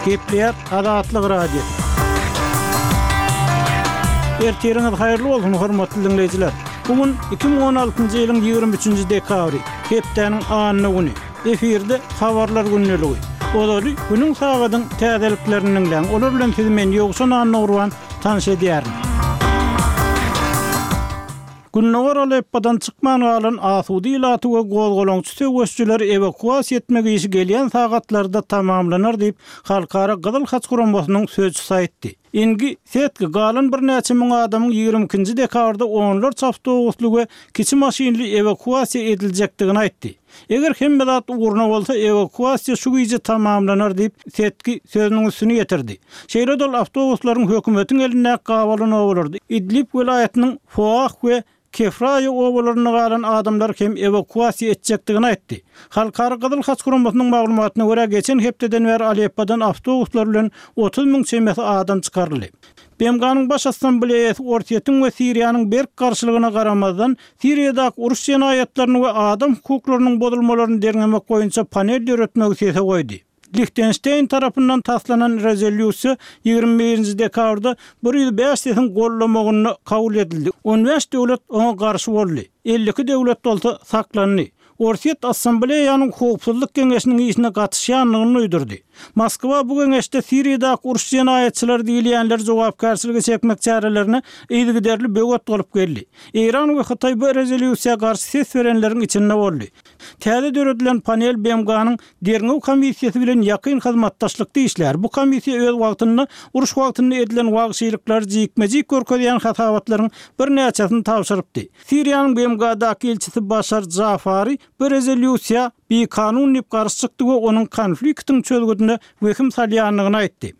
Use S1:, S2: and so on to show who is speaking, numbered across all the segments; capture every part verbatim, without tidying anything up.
S1: Gepleýär Azatlyk Radiosy. Ertiriňiz haýyrly bolsun, hormatly diňleýjiler! Bu gün iki müň on altynjy ýylyň ýigrimi üçünji dekabry, hepdäniň anna güni. Efirde Habarlar gündeligi. Ozaly günüň sagadyň täzeliklerini diňläň. Olar bilen sizi men Ýowşan Annagurban tanyş edýärin. Gündogar Aleppodan çykman galan asuda ilaty we gozgalaňçy söweşijileri ewakuasiýa etmek işi gelýän sagatlarda tamamlanar diýip, Halkara Gyzyl Haç guramasynyň sözçüsi aýtdy. Ingi Setki galan birnäçe müň adamyň ýigrimi ikinji dekabrda onlarça awtobusly we kiçi maşynly ewakuasiýa ediljekdigini aýtdy. Eger hemme zat ugruna bolsa, ewakuasiýa şu gije tamamlanar diýip, Setki sözüniň üstüni ýetirdi. Şeýle-de ol awtobuslaryň hökümetiň elindäki gabalan obalarda, Idlib welaýatynyň Foah we Kefraýa obalarynda galan adamlary hem ewakuasiýa etjekdigini aýtdy. Halkara Gyzyl Haç guramasynyň maglumatyna görä, geçen hepdeden bäri Aleppodan awtobuslar bilen otuz müň çemesi adam çykaryldy. B M G-nyň Baş Assambleýasy Orsýetiň we Siriýanyň berk garşylygyna garamazdan, Siriýadaky uruş jenaýatlaryny we adam hukuklarynyň bozulmalaryny derňemek boýunça panel döretmegi sese goýdy. Lihtenşteýn tarapyndan taslanan rezolýusiýa ýigrimi birinji dekabrda bir ýüz bäş sesiň gollamagynda kabul edildi. On bäş döwlet oňa garşy boldy. Elli iki döwlet bolsa saklandy. Orsýet Assambleýanyň Howpsuzlyk geňeşiniň işine gatyşýandygyny duýdurdy. Moskwa bu geňeşde Siriýadaky uruş jenaýatçylary diýilýänleri jogapkärçilige çekmek çärelerine yzygiderli böwet bolup geldi. Eýran we Hytaý bu rezolýusiýa garşy ses berenleriň içinde boldy. Täze döredilen panel B M G-nyň derňew komissiýasy bilen ýakyn hyzmatdaşlykda işlär. Bu komissiýa öz wagtynda uruş wagtynda edilen wagşylyklary jikme-jik görkezýän hasabatlaryň birnäçesini tabşyrypdy. Siriýanyň B M G-daky ilçisi Başar Jafari bu rezolýusiýa bikanun diýip garşy çykdy we onuň konfliktiň çözgüdine wehim salýandygyny aýtdy.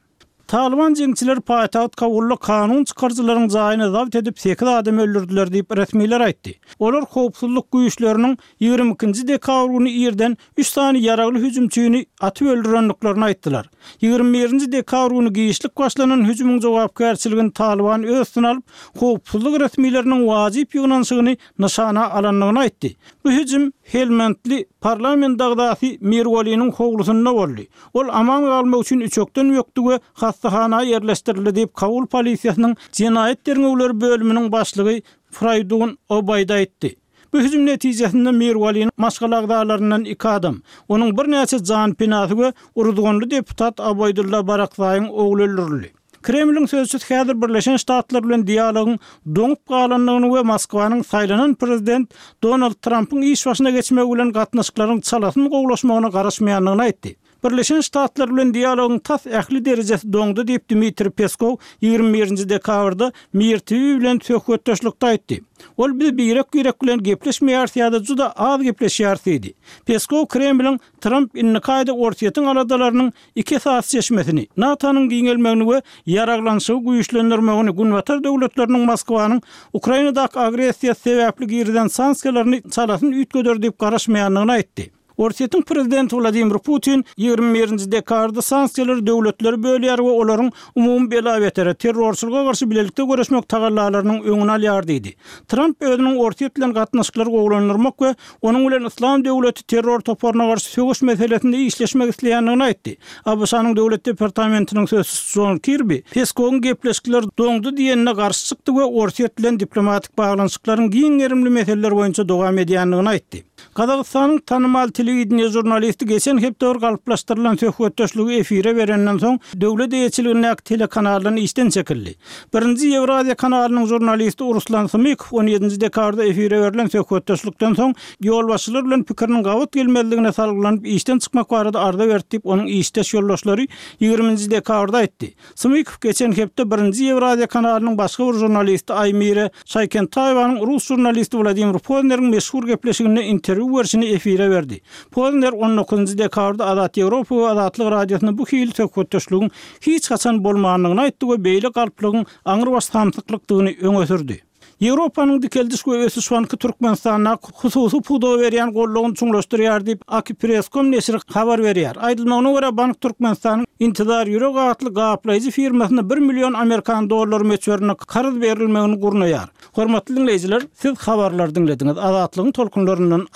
S1: Talyban jeňçileri paýtagt Kabulda kanun çykaryjylaryň jaýyny zabt edip sekiz adam öldürdiler diýip resmiler aýtdy. Olar howpsuzlyk güýçleriniň ýigrimi ikinji dekabr güni irden üç sany ýaragly hüjümçini atyp öldürendiklerini aýtdylar. Ýigrimi birinji dekabr güni giçlik başlanan hüjümiň jogapkärçiligini Talyban öz üstüne alyp, howpsuzlyk resmileriniň wajyp ýygnanyşygyny nyşana alandygyny aýtdy. Bu hüjüm Helmandly parlament agzasy Mirwaliniň howlusynda boldy. Ol aman galmak üçin üçekden bökdi we hassahana ýerleşdirildi diýip, Kabul polisiýasynyň jenaýat derňewleri bölüminiň başlygy Fraýdun Obaýda aýtdy. Bu hüjüm netijesinde Mirwaliniň maşgala agzalaryndan iki adam, onuň birnäçe janpenasy we uruzganly deputat Abaýdulla Barakzaýyň ogly öldürildi. Kremliň sözçüsi häzir Birleşen Ştatlar bilen dialogyň doňup galandygyny we Moskwanyň saýlanan prezident Donald Trampyň iş başyna geçmegi bilen gatnaşyklaryň çalasyn gowulaşmagyna garaşmaýandygyny aýtdy. Birleşen Ştatlar bilen dialogyň tas ähli derejesi doňdy diýip Dmitriý Peskow ýigrimi birinji dekabrda Mir T V bilen söhbetdeşlikde aýtdy. Ol biz birek-birek bilen gepleşmeýäris ýa-da juda az gepleşýäris diýdi. Peskow Kremliň Tramp indiki aýda Orsýetiň aladalarynyň iki esasy çeşmesini, NATO-nyň giňelmegini we ýaraglanyşygy güýçlendirmegini, Günbatar döwletleriniň Moskwanyň Ukrainadaky agressiýasy sebäpli girizen sanksiýalaryny çalasyn üýtgeder diýip garaşmaýandygyny aýtdy. Orsýetiň prezidenti Wladimir Putin ýigrimi birinji dekabrda sanksiýalary döwletleri bölýär we olaryň umumy bela-betere, terrorçylyga garşy bilelikde göreşmek tagallalarynyň öňüni alýar diýdi. Tramp özüniň Orsýet bilen gatnaşyklary gowulandyrmak we onuň bilen Yslam döwleti terror toparyna garşy söweş meselesinde işleşmek isleýändigini aýtdy. A B Ş-nyň Döwlet departamentiniň sözçüsi Jon Kirbi Peskowyň gepleşikler doňdy diýenine garşy çykdy we Orsýet bilen diplomatik baglanyşyklaryň giň gerimli meseleler boýunça dowam edýändigini aýtdy. Gazagystanyň tanymal telewideniýe žurnalisti geçen hepde bir galyplaşdyrylan söhbetdeşligi efire berenden soň döwlet eýeçiligindäki telekanaldan işden çekildi. Birinji Ýewraziýa kanalynyň žurnalisti Ruslan Symykow on ýedinji dekabrda efire berlen söhbetdeşlikden soň ýolbaşçylar bilen pikiriniň gabat gelmezligine salgylanyp işden çykmak barada arza berdi diýip onuň işdeş ýoldaşlary ýigriminji dekabrda aýtdy. Symykow geçen hepde birinji Ýewraziýa kanalynyň başga bir žurnalisti Aýmire Şaýkentaýewanyň rus žurnalisti Wladimir Pozneriň meşhur gepleşiginde interwýu berşini efire berdi. Pozner on dokuzynjy dekabrda Azat Ýewropa we Azatlyk Radiosyna bu hili söhbetdeşligiň hiç haçan bolmandygyny aýtdy we beýle galplygyň aňrybaş samsyklykdygyny öňe sürdi. Ýewropanyň Dikeldiş we Ösüş Banky Türkmenistanda hususy pudaga berýän goldawyny çuňlaşdyrýar diýip Akipress nokta com neşiri habar berýär. Aýdylmagyna görä bank Türkmenistanyň Intizar Ýürek atly gaplaýjy firmasyna bir million amerikan dollary möçberinde karz berilmegini gurnaýar. Hormatly dinleýjiler, siz habarlar diňlediňiz. Azatlygyň tolkunlaryndan aýrylmaň.